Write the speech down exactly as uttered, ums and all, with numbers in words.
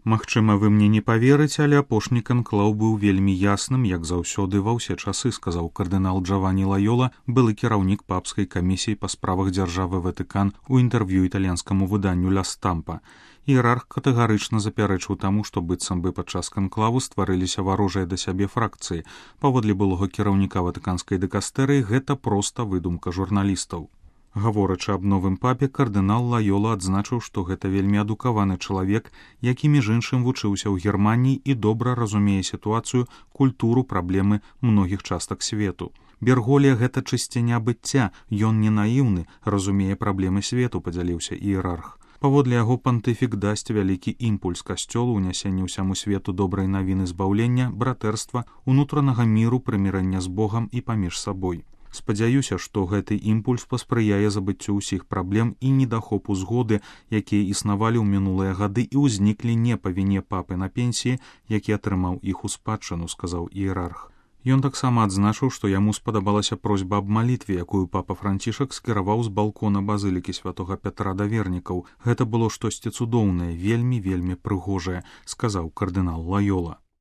Магчыма, вы мне не паверыце, але апошні канклаў быў вельмі ясным, як заўсёды ва ўсе часы, сказаў кардынал Джавані Лайола, былы кіраўнік папскай камісіі па справах дзяржавы Ватыкан у інтэрв'ю італьянскаму выданню «Ля Стампа». Іерарх катэгарычна запярэчыў таму, што быццам бы падчас канклаву стварыліся варожыя да сябе фракцыі. Паводле былога кіраўніка ватыканскай дыкастэрыі, гэта проста выдумка журналістаў. Гаворачы аб новым папе, кардынал Лайола адзначыў, што гэта вельмі адукаваны чалавек, які між іншым вучыўся ў Германіі і добра разумее сітуацыю, культуру, праблемы многіх частак свету. Берголія — гэта чысціня быцця, ён не наіўны, разумее праблемы свету, падзяліўся іерарх. Паводле яго пантыфік дасць вялікі імпульс касцёлу ў нясенні ўсяму свету добрай навіны збаўлення, братэрства, унутранага міру, прымірэння з Богам і паміж сабой. Спадзяюся, што гэты імпульс паспрыяе забыццю ўсіх праблем і недахопу згоды, якія існавалі ў мінулыя гады і ўзніклі не па віне папы на пенсіі, які атрымаў іх у спадчыну, сказаў іерарх. Ён таксама адзначыў, што яму спадабалася просьба аб малітве, якую папа Францішак скіраваў з балкона базылікі святога Пятра да вернікаў. Гэта было штосьці цудоўнае, вельмі-вельмі прыгожае, сказаў кардынал Лайола.